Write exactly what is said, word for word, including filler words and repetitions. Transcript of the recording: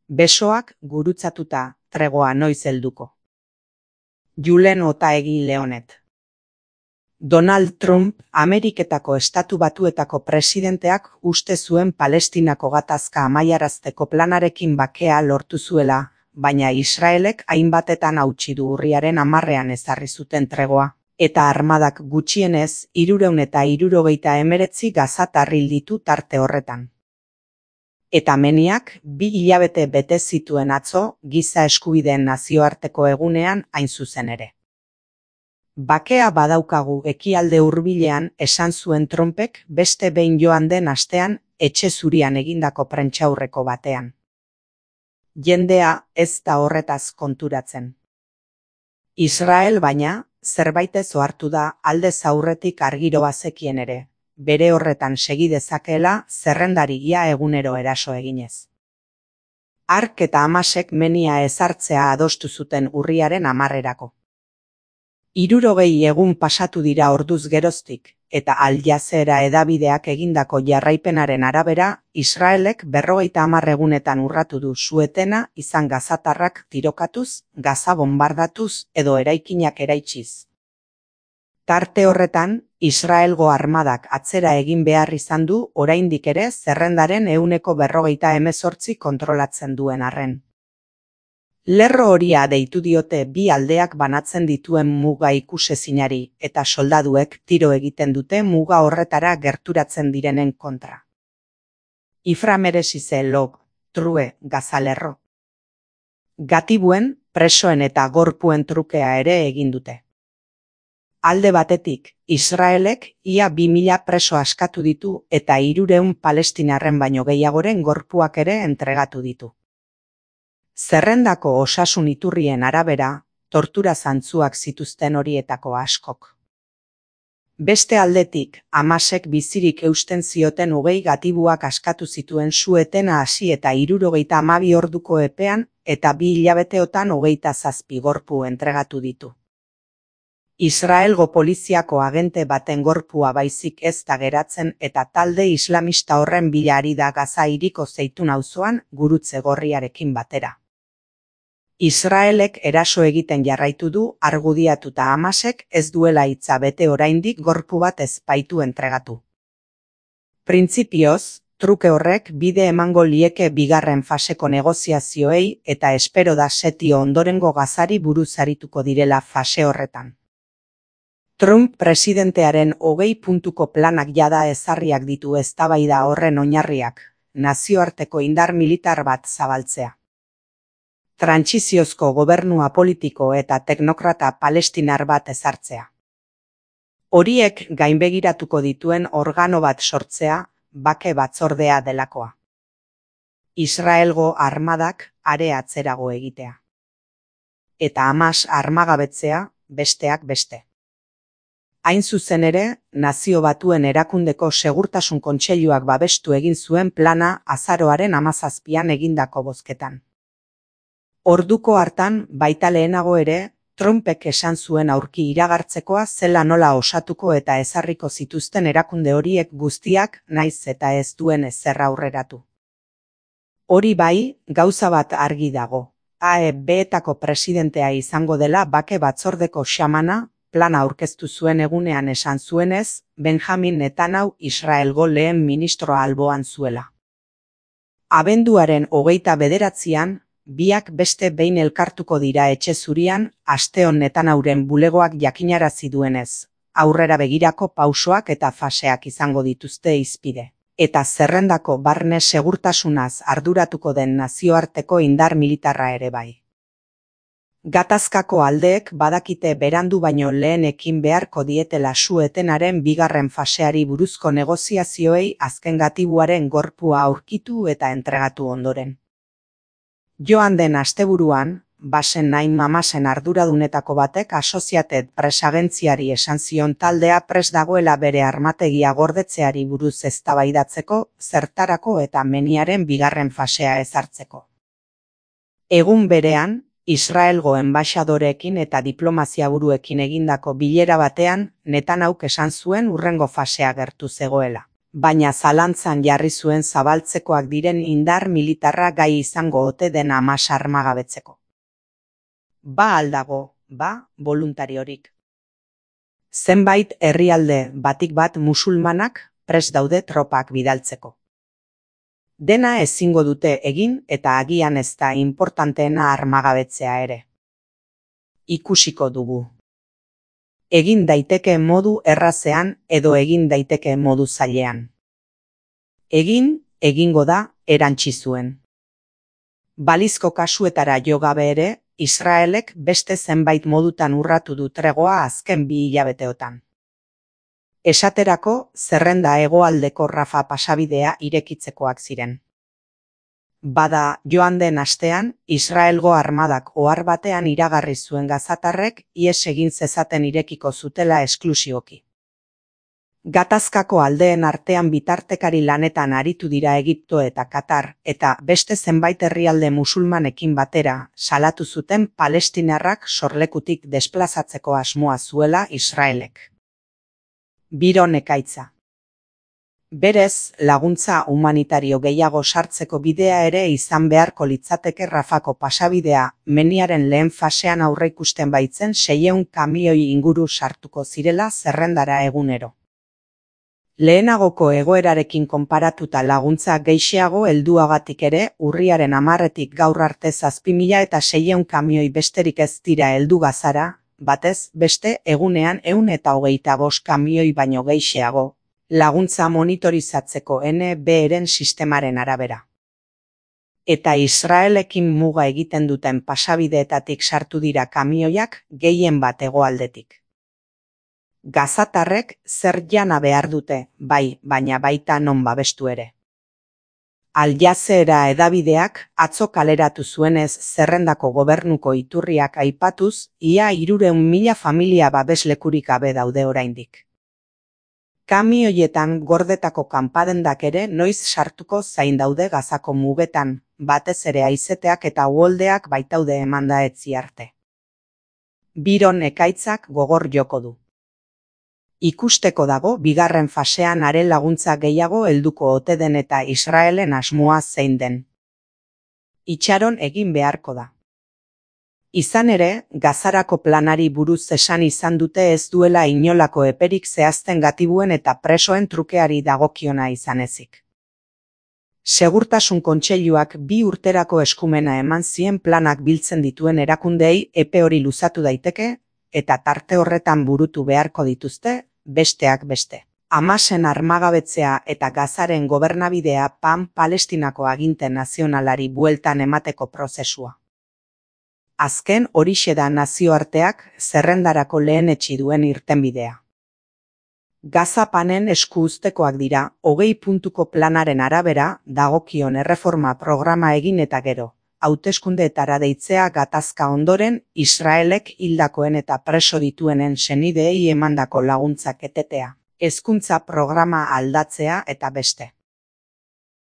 Besoak gurutzatuta, tregoa noiz helduko. Julen Otaegi Leonet. Donald Trump, Ameriketako Estatu Batuetako presidenteak uste zuen Palestinako gatazka amaiarazteko planarekin bakea lortu zuela, baina Israelek hainbatetan hautsi du urriaren hamarrean ezarri zuten tregoa, eta armadak gutxienez hirurehun eta hirurogeita hemeretzi gazatar hil ditu tarte horretan. Eta meniak bi hilabete bete zituen atzo giza eskubideen nazioarteko egunean hain zuzen ere. Bakea badaukagu ekialde hurbilean esan zuen Trumpek beste behin joan den astean etxe zurian egindako prentsaurreko batean. Jendea ez da horretaz konturatzen. Israel baina, zerbaitez ohartu da aldez aurretik argiro bazekien ere, bere horretan segi dezakeela zerrendari ia egunero eraso eginez. Hark eta Hamasek menia ezartzea adostu zuten urriaren hamarrerako. Hirurogei egun pasatu dira orduz geroztik, eta Al Jazeera hedabideak egindako jarraipenaren arabera, Israelek berrogeita hamar egunetan urratu du su-etena izan gazatarrak tirokatuz, Gaza bonbardatuz edo eraikinak eraitsiz. Tarte horretan, Israelgo armadak atzera egin behar izan du oraindik ere zerrendaren ehuneko berrogeita hemezortzi kontrolatzen duen arren. Lerro horia deitu diote bi aldeak banatzen dituen muga ikusezinari eta soldaduek tiro egiten dute muga horretara gerturatzen direnen kontra. Iframeresize log, true, gazalerro. Gatibuen, presoen eta gorpuen trukea ere egin dute. Alde batetik, Israelek ia bi mila preso askatu ditu eta hirurehun palestinarren baino gehiagoren gorpuak ere entregatu ditu. Zerrendako osasun iturrien arabera, tortura zantzuak zituzten horietako askok. Beste aldetik, Hamasek bizirik eusten zioten hogei gatibuak askatu zituen su-etena hasi eta hirurogeita hamabi orduko epean eta bi hilabeteotan hogeita zazpi gorpu entregatu ditu. Israelgo poliziako agente baten gorpua baizik ez da geratzen eta talde islamista horren bila ari da Gaza hiriko Zeitun auzoan gurutze gorriarekin batera. Israelek eraso egiten jarraitu du argudiatuta Hamasek ez duela hitza bete oraindik gorpu bat ez baitu entregatu. Printzipioz, truke horrek bide emango lieke bigarren faseko negoziazioei eta espero da setio ondorengo Gazari buruz arituko direla fase horretan. Trump presidentearen hogei puntuko planak jada ezarriak ditu eztabaida horren oinarriak, nazioarteko indar militar bat zabaltzea. Trantsiziozko gobernua politiko eta teknokrata palestinar bat ezartzea. Horiek gainbegiratuko dituen organo bat sortzea, bake batzordea delakoa. Israelgo armadak are atzerago egitea. Eta Hamas armagabetzea, besteak beste. Hain zuzen ere, Nazio Batuen Erakundeko Segurtasun Kontseiluak babestu egin zuen plana azaroaren hamazazpian egindako bozketan. Orduko hartan, baita lehenago ere, Trumpek esan zuen aurki iragartzekoa zela nola osatuko eta ezarriko zituzten erakunde horiek guztiak naiz eta ez duen ezer aurreratu. Hori bai, gauza bat argi dago. A E B-etako presidentea izango dela bake batzordeko xamana, plana aurkeztu zuen egunean esan zuenez, Benjamin Netanyahu Israelgo lehen ministroa alboan zuela. Abenduaren hogeita bederatzian, biak beste behin elkartuko dira etxe zurian, asteon Netanyahuren bulegoak jakinarazi duenez, aurrera begirako pausoak eta faseak izango dituzte hizpide, eta zerrendako barne segurtasunaz arduratuko den nazioarteko indar militarra ere bai. Gatazkako aldeek badakite berandu baino lehen ekin beharko dietela su-etenaren bigarren faseari buruzko negoziazioei azken gatibuaren gorpua aurkitu eta entregatu ondoren. Joan den asteburuan, Basen Naim Hamasen arduradunetako batek Associated Press agentziari esan zion taldea prest dagoela bere armategia gordetzeari buruz eztabaidatzeko, zertarako eta meniaren bigarren fasea ezartzeko. Egun berean, Israelgo enbaxadoreekin eta diplomazia buruekin egindako bilera batean, Netanyahuk esan zuen hurrengo fasea gertu zegoela. baina zalantzan jarri zuen zabaltzekoak diren indar militarra gai izango ote den Hamas armagabetzeko. Ba aldago, ba voluntariorik. Zenbait herrialde batik bat musulmanak prest daude tropak bidaltzeko. Dena ezingo dute egin eta agian ez da importanteena armagabetzea ere. Ikusiko dugu. Egin daiteke modu errazean edo egin daiteke modu zailean. Egin, egingo da, erantsi zuen. Balizko kasuetara jo gabe ere, Israelek beste zenbait modutan urratu du tregoa azken bi hilabeteotan. Esaterako, zerrenda hegoaldeko Rafa pasabidea irekitzekoak ziren. Bada, joan den astean, Israelgo armadak ohar batean iragarri zuen gazatarrek ihes egin zezaten irekiko zutela esklusioki. Gatazkako aldeen artean bitartekari lanetan aritu dira Egipto eta Katar eta beste zenbait herrialde musulmanekin batera salatu zuten palestinarrak sorlekutik desplazatzeko asmoa zuela Israelek. Biron ekaitza. Berez, laguntza humanitario gehiago sartzeko bidea ere izan beharko litzateke Rafako pasabidea meniaren lehen fasean aurreikusten baitzen seiehun kamioi inguru sartuko zirela zerrendara egunero. Lehenagoko egoerarekin konparatuta laguntza gehixeago helduagatik ere urriaren hamarretik gaur arte zazpi mila eta seiehun kamioi besterik ez dira heldu Gazara, batez beste egunean ehun eta hogeita bost kamioi baino gehixeago, laguntza monitorizatzeko N B-ren sistemaren arabera. Eta Israelekin muga egiten duten pasabideetatik sartu dira kamioiak gehien bat hegoaldetik. Gazatarrek zer jana behar dute, bai, baina baita non babestu ere. Al Jazeera hedabideak atzo kaleratu zuenez zerrendako gobernuko iturriak aipatuz, ia hirurehun mila familia babeslekurik gabe daude oraindik. Kamioietan gordetako kanpadendak ere noiz sartuko zain daude Gazako mugetan, batez ere haizeteak eta uholdeak baitaude emanda etzi arte. Biron ekaitzak gogor joko du. Ikusteko dago bigarren fasean are laguntza gehiago helduko ote den eta Israelen asmoa zein den. Itxaron egin beharko da. Izan ere, Gazarako planari buruz esan izan dute ez duela inolako eperik zehazten gatibuen eta presoen trukeari dagokiona izan ezik. Segurtasun Kontseiluak bi urterako eskumena eman zien planak biltzen dituen erakundeei epe hori luzatu daiteke, eta tarte horretan burutu beharko dituzte, besteak beste. Hamasen armagabetzea eta Gazaren gobernabidea Pan Palestinako aginte nazionalari bueltan emateko prozesua. Azken horixe da nazioarteak zerrendarako lehenetsi duen irtenbidea. Gaza Panen esku uztekoak dira, hogei puntuko planaren arabera, dagokion erreforma programa egin eta gero. Hauteskundeetara deitzea gatazka ondoren, Israelek hildakoen eta preso dituenen senideei emandako laguntzak etetea, hezkuntza programa aldatzea eta beste.